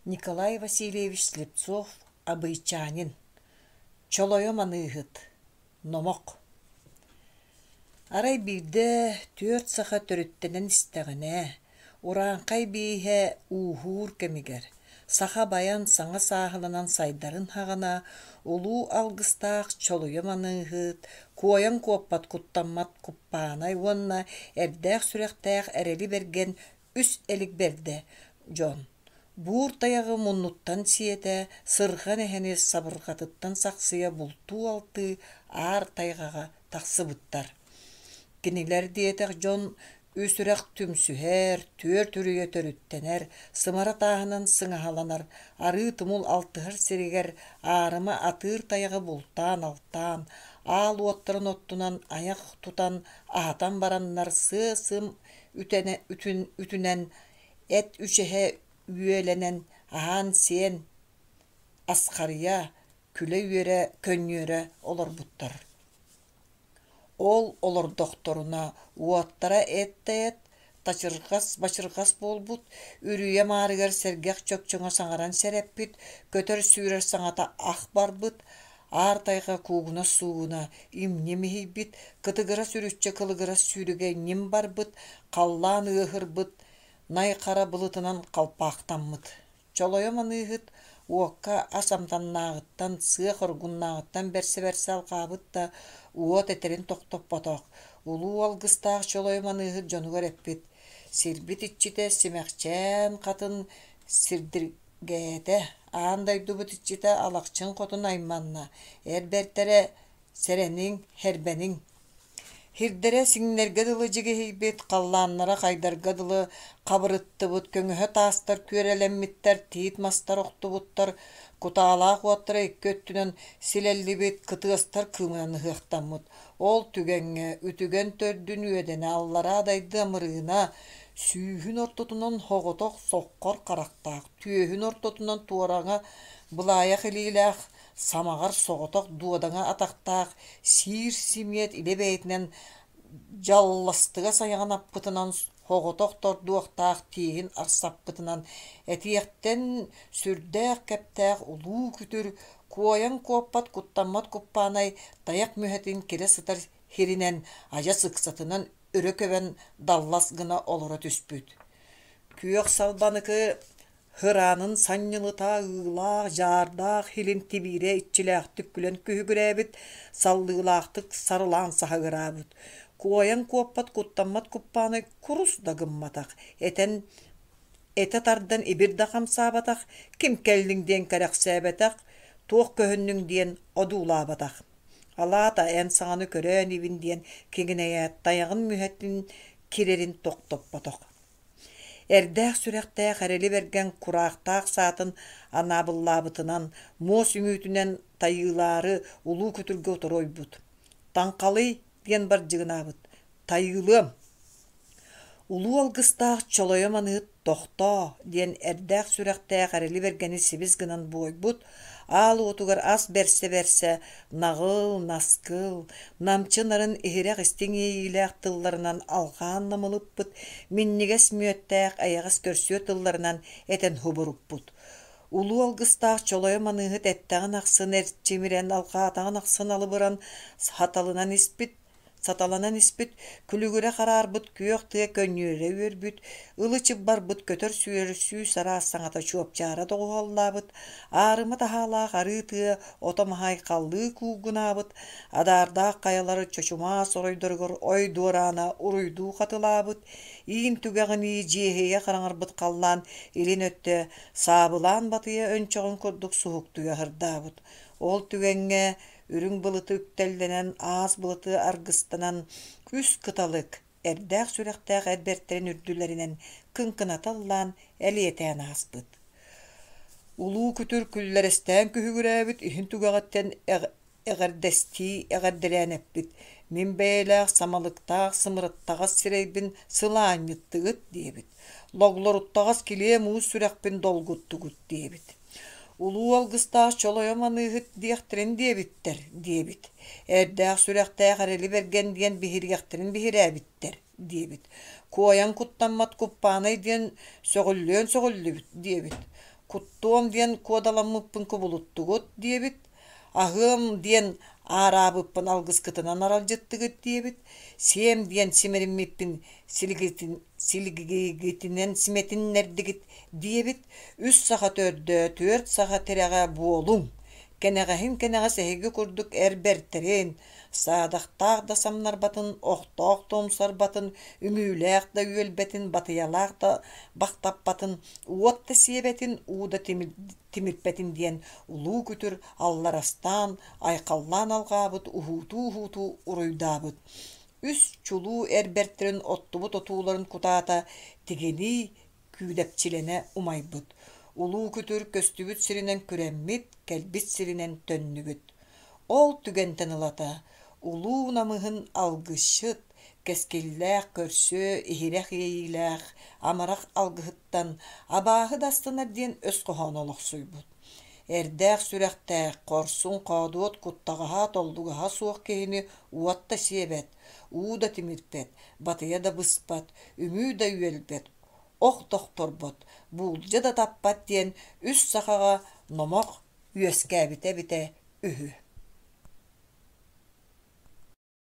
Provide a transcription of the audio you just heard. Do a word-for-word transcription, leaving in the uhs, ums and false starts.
Николай Васильевич Слепцов «Абыйчанин», Чолойо маныыһыт, Номох Арай биирдэ түөрт саха төрүттэнэн истэҕинэ, урааҥхай бииһэ ууһуур кэмигэр, саха байан саҥа сааһыланан сайдарын саҕана, улуу алгыстаах Чолуйа маныыһыт, куойан куоппат куттаммат Куппаанай уонна эрдээх сүрэхтээх Эрэли Бэргэн үс элик бэрдэ дьон Буур тайаҕы муннуттан сиэтэ, сырҕан эһэни сабырҕатыттан сахсыйа бултуу-алтыы аар тайҕаҕа тахсыбыттар. Кинилэр диэтэх дьон үс үрэх түмсүһэр, түөрт үрүйэ төрүттэнэр, сымара тааһынан сыҥаһаланар, арыы тумул алтыһар сиригэр аарыма атыыр тайаҕы бултаан-алтаан, аал уоттарын оттунан айах тутан аһатан бараннар сыа-сым үтэнэ, үтүн, үтүнэн эт үчэһэ үөлэнэн, аһаан-сиэн асхарыйа, күлэ-үөрэ, көнньүөрэ олорбуттар. Ол олордохторуна уоттара эт да эт, тачырҕас-бачырҕас буолбут, үрүйэ маарыгар сэргэх чөкчөҥө саҥаран сэрэппит, көтөр-сүүрэр саҥата ах барбыт, аар тайҕа куугунас-суугуна имньим иһийбит, кытыгырас үрүччэ кылыгырас сүүрүгэ ньим барбыт, халлаан ыаһырбыт, най хара былытынан халпаахтаммыт. Чолойо маныыһыт уокка ас амтаннааҕыттан, сыа хоргуннааҕыттан бэрсэ-бэрсэ алҕаабыт да, уот этэрин тохтоппотох. Улуу алгыстаах Чолойо маныыһыт дьонугар эппит: «Сирбит иччитэ Симэхчээн хатын сирдиргээтэ, аан дойдубут иччитэ Алахчын хотун айманна, эр бэртэрэ сэрэниҥ, һэрбэниҥ Һирдэрэ сиҥнэргэ дылы дьигиһийбит, халлааннара хайдарга дылы хабырыттыбыт, көҥөһө таастар күөрэлэммиттэр, тиит мастар охтубуттар, кутаалаах уоттара икки өттүнэн силэллибит, кытыастар кыымынан ыһыахтаммыт. Ол түгэҥҥэ үтүгэн төрдүн үөдэнэ аллараа дайды амырыына, сүүһүн ортотунан соҕотох соххор харахтаах, түөһүн ортотунан туораҥа былаайах илиилээх, самаҕар соҕотох дуодаҥа атахтаах, сиир симиэт илэ бэйэтинэн дьалластыгас айаҕын аппытынан соҕотох тордуохтаах тииһин арсаппытынан этиэхтэн сүрдээх кэптээх улуу күтүр, куойан куоппат куттаммат куппаанай тайах мүһэтин кирэ сытар һиринэн адьас ыксатынан өрө көбөн даллас гына олоро түспүт. Күөх салбаныкы Һыраанын санньылыта ыылаах, дьаардаах илин тибиирэ иччилээхтик күлэн күһүгүрээбит, саллыылаахтык сарылаан саһыгыраабыт. Куойан куоппат куттаммат куппаанай курус да гымматах, этэн этэ тардан ибир да хамсаабатах, ким кэллиҥ диэн кэрэхсээбэтэх, туох көһүннүҥ диэн одуулаабатах. Алаата эн саҥаны көрөө инибин диэн киҥинэйээт тайаҕын мүһэтин кирэрин тохтоппотох. Эрдээх сүрэхтээх эрэли бэргэн кураахтаах саатын анаабыллаабытынан, муос үҥүүтүнэн тайыылаары улуу күтүргэ утары ойбут. «Таҥхалый» диэн бардьыгынаабыт. «Тайыылыам» Улуу алгыстаах Чолойо маныыт «Тохтоо» диэн эрдээх сүрэхтээх эрэли бэргэни сибис гынан буойбут, аал уотугар ас бэрсэ-бэрсэ наҕыл, наскыл, намчы нарын иһирэх истиҥ иэйиилээх тылларынан алҕаан намылыппыт, минньигэс мүөттээх эйэҕэс көрсүө тылларынан этэн субуруппут. Улуу алгыстаах Чолойо маныыһыт эттэҕин ахсын эрчимирэн, алҕаатаҕын ахсын алыбыран, саталынан испит, Саталанан испит, күлүгүрэ хараарбыт күөх тыа көнньүөрэ үөрбүт, ылы-чып барбыт көтөр-сүүрэр сүүс араас саҥата чуопчаара доҕуһуоллаабыт, аарыма таһаалаах арыы тыа ото-маһа айхаллыы куугунаабыт, адаардаах хайалар чочумаас оройдоругар ой дуораана уруйдуу хатылаабыт, иин түгэҕинии дьиэһийэ хараҥарбыт халлаан илин өттө саабылаан батыйа өнчөҕүн курдук суһуктуйа аһырдаабыт. Ол түгэҥҥэ үрүҥ былыты үктэллэнэн, аас былыты аргыстанан, үс кыталык, эрдээх сүрэхтээх эр бэртэрин үрдүлэринэн кыҥкыната ыллаан, элиэтээн ааспыт. Улуу күтүр күллэрэстээн күһүгүрээбит иһин түгэҕиттэн эҕэрдэстии эҕэрдэлээн эппит: «Мин бэйэлээх самалыктаах сымырыттаҕас сирэйбин сылаанньыттыгыт» диэбит. «Логлоруттаҕас килиэ муус сүрэхпин долгуттугут» диэбит. Улуу алгыстаах Чолойо маныыһыт диэхтэрин диэбиттэр диэбит. Эрдээх сүрэхтээх эрэли бэргэн диэн биһириэхтэрин биһирээбиттэр диэбит. Куойан куттаммат куппаанай диэн сөҕүллүөн сөҕүллүбүт диэбит. Куттуом диэн куодаламмыппын кубулуттугут диэбит, аһыам диэн аараабыппын алгыскытынан аралдьыттыгыт диэбит, сиэм диэн симэриммиппин силигигитинэн симэтиннэрдигит диэбит, үс саха төрдө, түөрт саха тирэҕэ буолуҥ, кэнэҕэһин кэнэҕэс эһиги курдук эр бэртэрин, саадахтаах да самнарбатын, охтоох да умсарбатын, үҥүүлээх да үөлбэтин, батыйалаах да бахтаппатын, уот да сиэбэтин, уу да тимирпэтин диэн улуу күтүр алларастаан, айхаллаан алҕаабыт, уһуутуу-уһуутуу уруйдаабыт. Үс чулуу эр бэртэрин оттубут отууларын кутаата тигинии күүдэпчилэнэ умайбыт. Улуу күтүр көстүбүт сиринэн күрэммит, кэлбит сиринэн төннүбүт. Ол түгэнтэн ылата улуу намыһын алгысчыт, кэскиллээх көрсүө, иһирэх иэйиилээх, амарах алгыһыттан абааһы да астынар диэн өс хоһооно олохсуйбут. Эрдээх сүрэхтээх, хорсун, хоодуот, куттаҕаһа, толлугаһа суох киһини уот да сиэбэт, уу да тимирпэт, батыйа да быспат, үҥүү да үөлбэт, ох тохторбот, буулдьа да таппат диэн үс сахаҕа номох үөскээбитэ эбитэ үһү.